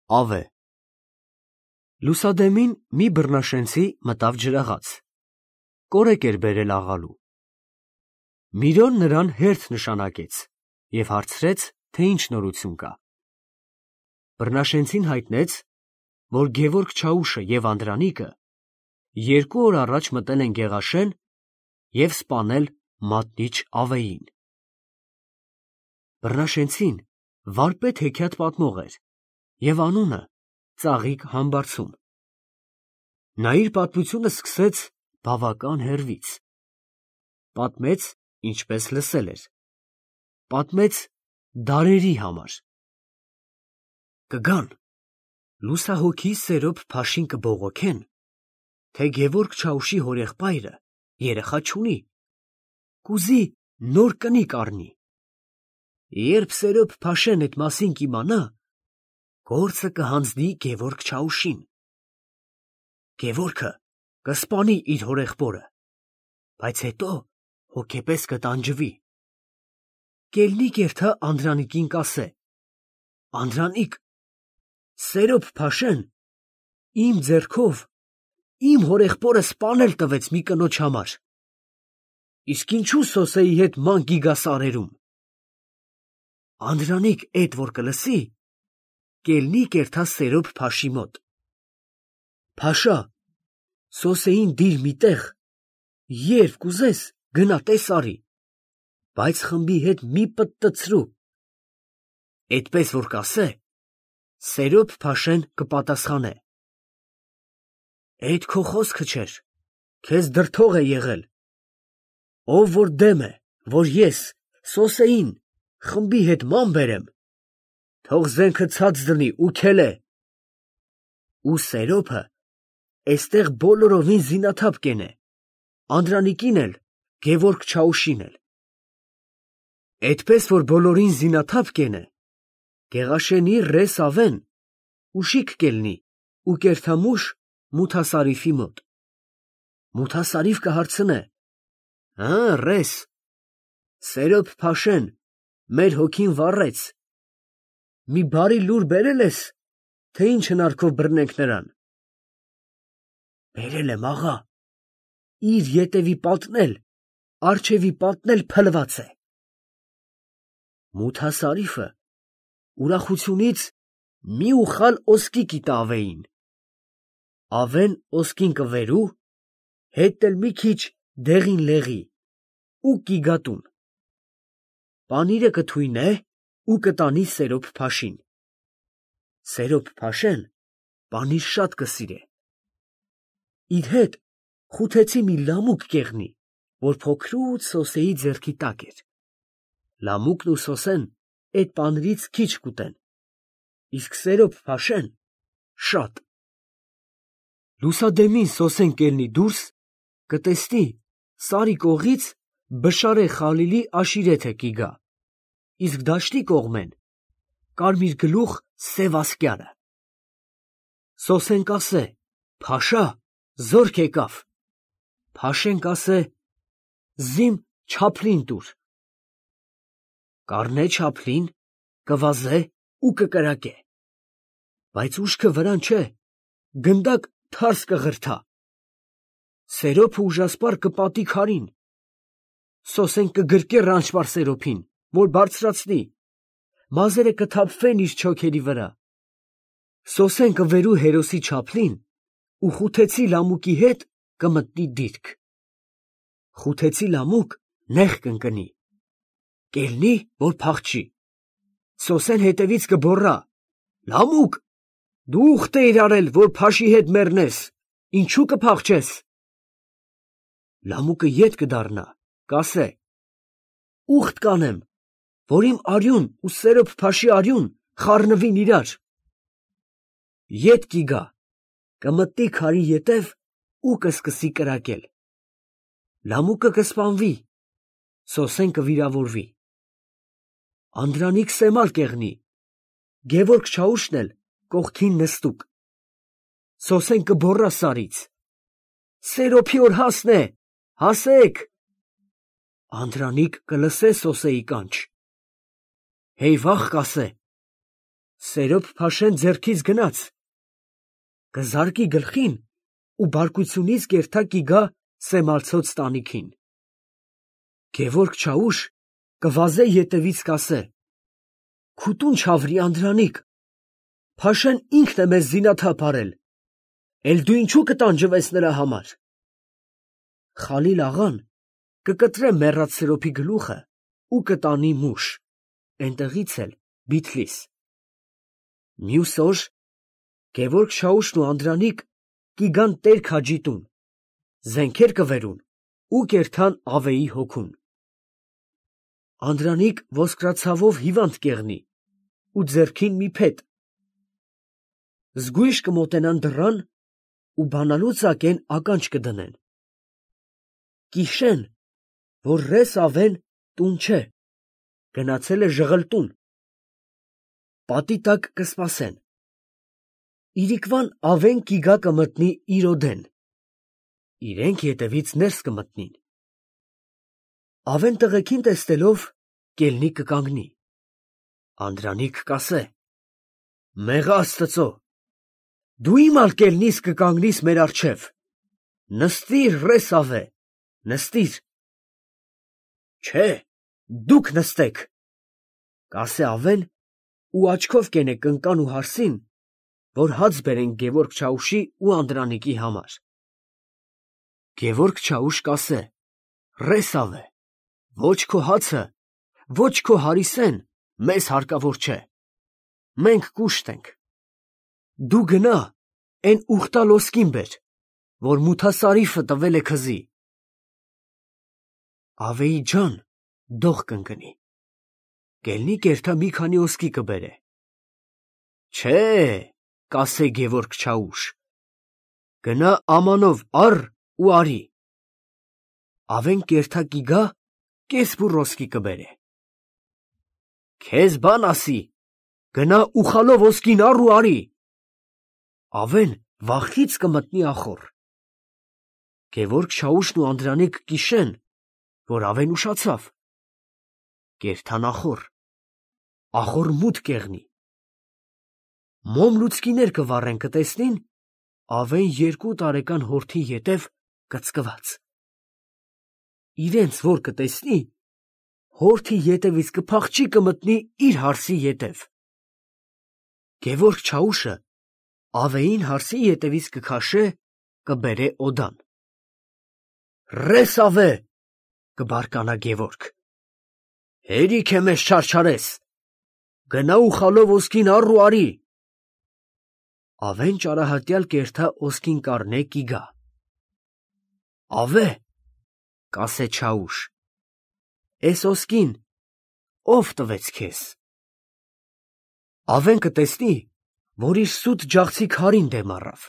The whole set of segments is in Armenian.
Ավե։ Լուսադեմին մի բռնաշենցի մտավ ջրաղաց։ Կորեկ էր բերել աղալու։ Միրոն նրան հերթ նշանակեց և հարցրեց, թե ինչ նորություն կա։ Բռնաշենցին հայտնեց, որ Գևորգ Չաուշը և Անդրանիկը 2 օր առաջ մտել են Գեղաշեն և սպանել մատնիչ Ավեին։ Բռնաշենցին վարպետ հեքիաթ պատմող էր և անունը Ծաղիկ Համբարձում։ Նա իր պատմությունը սկսեց բավական հեռվից։ Պատմեց, ինչպես լսել էր։ Պատմեց դարերի համար։ Կգան, լուսահոգի Սերոբ Փաշին կբողոքեն, թե Գևորգ Չաուշի հորեղբայրը երեխա չունի, կուզի նոր կնիկ առնի։ Երբ Սերոբ Փաշեն էդ մասին կիմանա, գործը կհանձնի Գևորգ Չաուշին։ Գևորգը կսպանի իր հորեղբորը, բայց հետո հոգեպես կտանջվի։ Կելնիկ երթա Անդրանիկին կասե. Անդրանիկ, Սերոբ Փաշեն իմ ձեռքով իմ հորեղբորը սպանել տվեց մի կնոջ համար, իսկ ինչու Սոսեի հետ ման գիգա սարերում։ Անդրանիկ էդ որ կլսի, կելնիկ երթա Սերոբ Փաշի մոտ. Փաշա, Սոսեին դիր մի տեղ, երբ կուզես գնա տես արի, բայց խմբի հետ մի պտտցրու։ Էդպես որ կասե, Սերոբ Փաշեն կպատասխանե. Էդ քո խոսքը չէր, քեզ դրդող է եղել։ Ով որ դեմ է, որ ես Սոսեին խմբի հետ ման բերեմ, թող զենքը ցած դնի ու քելե։ Ու Սերոբը էստեղ բոլորովին զինաթափ կենե, Անդրանիկին էլ, Գևորգ Չաուշին էլ։ Էդպես որ բոլորին զինաթափ կենե, Գեղաշենի ռես Ավեն ուշիկ կելնի ու կերթամուշ Մութասարիֆի մոտ։ Մութասարիֆ կհարցնե. ռես, Սերոբ Փաշեն մեր հոգին վառեց, մի բարի լուր բերել ես, թե ինչ հնարքով բռնենք նրան։ Բերել եմ, աղա, իր ետևի պատն էլ, առջևի պատն էլ փլված է։ Մութասարիֆը ուրախությունից մի ուխալ ոսկի կիտա Ավեին։ Ավեն ոսկին կվերու, հետ էլ մի քիչ դեղին լեղի ու կիգատուն։ Պանիրը կթույնե ու կտանի Սերոբ Փաշին։ Սերոբ Փաշեն պանիր շատ կսիրե։ Իր հետ խութեցի մի լամուկ կեղնի, որ փոքրուց Սոսեի ձեռքի տակ էր։ Լամուկն ու Սոսեն էդ պանիրից քիչ կուտեն, իսկ Սերոբ Փաշեն շատ։ Լուսադեմին Սոսեն կելնի դուրս, կտեսնի սարի կողից Բշարե Խալիլի աշիրեթը կիգա, իսկ դաշտի կողմեն կարմիր գլուխ սև ասկյարը։ Սոսեն կասե. Փաշա, զորք եկավ։ Փաշեն կասե. զիմ չափլին տուր։ Կառնե չափլին, կվազե ու կկրակե, բայց ուշքը վրան չէ, գնդակ թարս կղրթա։ Սերոբը ուժասպառ կպատի քարին։ Սոսեն կգրկե Ռանչպար Սերոբին, որ բարձրացնի, մազերը կթափվեն իր չոքերի վրա։ Սոսեն կվերու հերոսի չափլին ու խութեցի լամուկի հետ կմտնի դիրք։ Խութեցի լամուկ նեղ կընկնի, կելնի, որ փախչի։ Սոսեն հետևից կբոռա. Լամուկ, դու ուխտ էիր արել, որ Փաշի հետ մեռնես, ինչու կփախչես։ Լամուկը ետ կդառնա, կասե. ուխտ կանեմ, որ իմ արյուն ու Սերոբ Փաշի արյուն խառնվին իրար։ Ետ կիգա, կմտնի քարի ետև ու կսկսի կրակել։ Լամուկը կսպանվի, Սոսեն կվիրավորվի։ Անդրանիկ սեմալ կեղնի, Գևորգ Չաուշն էլ կողքին նստուկ։ Սոսեն կբոռա սարից. Սերոբի օր հասն է, հասեք։ Անդրանիկ կլսե Սոսեի կանչ։ Հեյ վախ կասե. Սերոբ փաշեն ձեռքից գնաց, կզարկի գլխին ու բարկությունից կերթա կիգա սեմալցոց տանիքին։ Գևորգ Չաուշ կվազե ետևից կասե. «Քուտուն չավրի Անդրանիկ, փաշեն ինքն է մեզ զինաթափ արել, էլ դու ինչու կտանջվես նրա համար»։ Խալիլ աղան կկտրե մեռած Սերոբի գլուխը ու կտանի Մուշ, այնտեղից էլ Բիթլիս։ Մյուս օր Գևորգ Շաուշն ու Անդրանիկ կիգան Տեր Քաջի տուն, զենքեր կվերուն ու կերթան Ավեի հոգուն։ Անդրանիկ ոսկրացավով հիվանդ կեղնի ու ձեռքին մի փետ։ Զգույշ կմոտենան դռան ու բանալու ծակեն ականջ կդնեն։ Կիշեն, որ ռես Ավեն տուն չէ, գնացել է ժղլտուն։ Պատի տակ կսպասեն։ Իրիկվան Ավեն կիգա կմտնի իր օդեն։ Իրենք ետևից ներս կմտնին։ Ավեն տղեկին տեսնելով կելնի կկանգնի։ Անդրանիկ կասե. «Մեղա Աստծո, դու իմ ալ կելնիս կկանգնիս մեր առջև։ Նստիր ռես Ավե, նստիր»։ Չէ, դուք նստեք, կասե Ավեն ու աչքով կենե կնկան ու հարսին, որ հաց բերեն Գևորգ Չաուշի ու Անդրանիկի համար։ Գևորգ Չաուշ կասե. «Ռես Ավե, ոչ քո հացը, ոչ քո հարիսեն մեզ հարկավոր չէ, մենք կուշտ ենք։ Դու գնա էն ուխտալ ոսկին բեր, որ Մութասարիֆը տվել է քզի»։ Ավեի ջան դող կընկնի, կելնի կերթա մի քանի ոսկի կբերե։ Չէ, կասե Գևորգ Չաուշ, գնա ամանով առ ու արի։ Ավեն կերթա կիգա կես բուռ ոսկի կբերե։ Քեզ բան ասի, գնա ուխալով ոսկին առ ու արի։ Ավեն վախից կմտնի ախոր։ Գևորգ Շաուշն ու Անդրանիկ կիշեն, որ Ավեն ուշացավ։ Կերթան ախոր մութ կեղնի։ Մոմ լուցկիներ կվառեն կտեսնին Ավեն 2 տարեկան հորթի ետև կծկված։ Իրենց որ կտեսնի, հորթի ետևից կփախչի կմտնի իր հարսի ետև։ Գևորգ Չաուշը Ավեին հարսի ետևից կքաշե, կբերե օդան։ Ռես Ավե, կբարկանա Գևորգ, հերիք է մեզ չարչարես, գնա ուխալով ոսկին առ ու արի։ Ավեն ճարահատյալ կերթա ոսկին կառնե կիգա։ Ավե, կասե Չաուշ, էս ոսկին ով տվեց քեզ։ Ավեն կտեսնի, որ իր սուտ ջաղցի քարին դեմ առավ։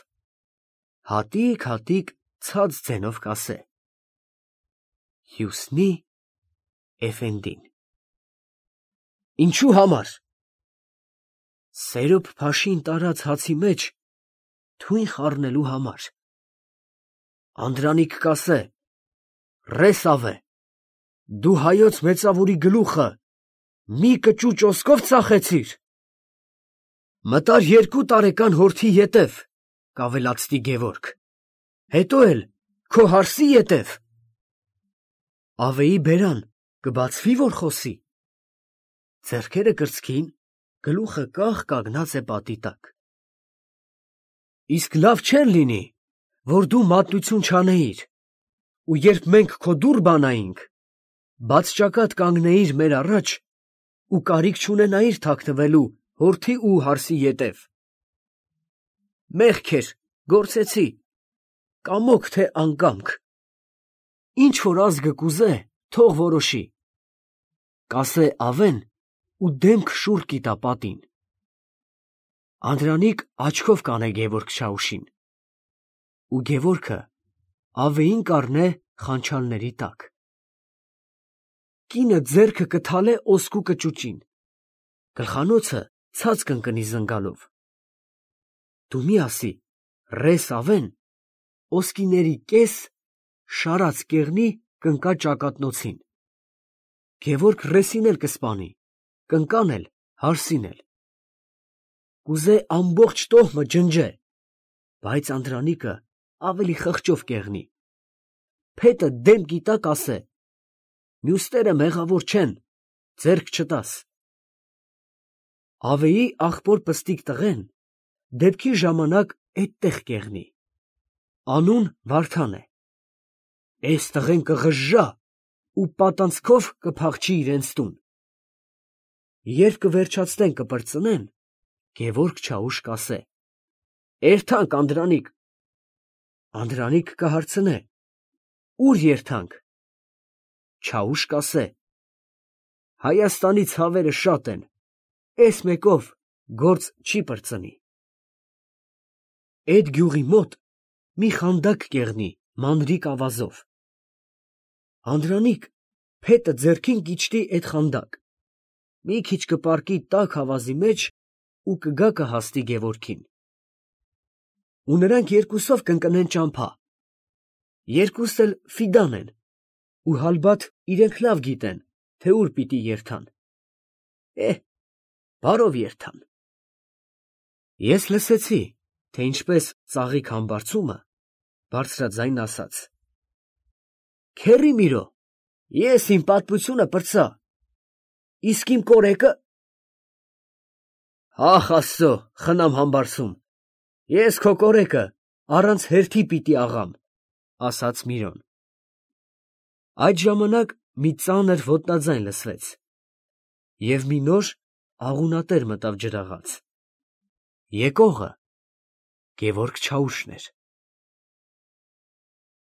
Հատիկ ցած ձենով կասե. Հյուսնի Էֆենդին։ Ինչու համար։ Սերոբ փաշին տարած հացի մեջ թույն խառնելու համար։ Անդրանիկ կասե. Ռես Ավե, դու հայոց մեծավորի գլուխը մի կճուճ ոսկով ծախեցիր։ Մտար 2 տարեկան հորթի ետև, կավելացնի Գևորգ, հետո էլ քո հարսի ետև։ Ավեի բերան կբացվի որ խոսի։ Ձեռքերը կրծքին, գլուխը կախ կանգնած է պատի տակ։ Իսկ լավ չէր լինի, որ դու մատնություն չանեիր, ու երբ մենք քո դուռ բանայինք, բաց ճակատ կանգնեիր մեր առաջ ու կարիք չունենայիր թաքնվելու հորթի ու հարսի ետև։ Մեղք էր, գործեցի, կամոք թե անկամք։ Ինչ որ ազգը կուզե, թող որոշի, կասե Ավեն ու դեմք շուռ կիտա պատին։ Անդրանիկ աչքով կանե Գևորգ Շաուշին, ու Գևորգը Ավեին կառնե խանչալների տակ։ Կինը ձեռքը կթալե ոսկու կճուճին, գլխանոցը ցած կընկնի զնգալով։ Դու մի ասի, ռես Ավեն, ոսկիների կես շարած կեղնի կընկա ճակատնոցին։ Գևորգ ռեսին էլ կսպանի, կնկան էլ հարսին էլ։ կուզե ամբողջ տոհմը ջնջե, բայց Անդրանիկը ավելի խղճով կեղնի, փետը դեմ կիտակ ասե, մյուսները մեղավոր չեն, ձեռք չտաս։ Ավեի աղբոր պստիկ տղեն դեպքի ժամանակ էդտեղ կեղնի, անուն Վարդան է, էս տղեն կղժժա ու պատանցքով կփախչի իրենց տուն։ Երբ կվերջացնեն կպրծնեն, Գևորգ Չաուշ կասե. «Էրթանք, Անդրանիկ»։ Անդրանիկ կհարցնե. «Ուր երթանք»։ Չաուշ կասե. «Հայաստանի ցավերը շատ են, էս մեկով գործ չի պրծնի»։ Էդ գյուղի մոտ մի խանդակ կեղնի մանրիկ ավազով։ Անդրանիկ փետը ձեռքին կիջտի էդ խանդակ, մի քիչ կպառկի տաք ավազի մեջ ու կգա կհաստի Գևորգին։ Ու նրանք երկուսով կընկնեն ճամփա, երկուսն էլ ֆիդան են, ու հալբաթ իրենք լավ գիտեն, թե ուր պիտի երթան։ Բարով երթան։ Ես լսեցի, թե ինչպես ծաղիկ համբարձումը բարձրաձայն ասաց. «Քեռի Միրո, ես իմ պատմությունը պրծա, իսկ իմ կորեկը…» «Ախ Աստծո, խնամ համբարձում, ես քո կորեկը առանց հերթի պիտի աղամ», ասաց Միրոն։ Այդ ժամանակ մի ծանր ոտնաձայն լսվեց, և մի նոր աղունատեր մտավ ջրաղաց։ Եկողը Գևորգ Չաուշն էր։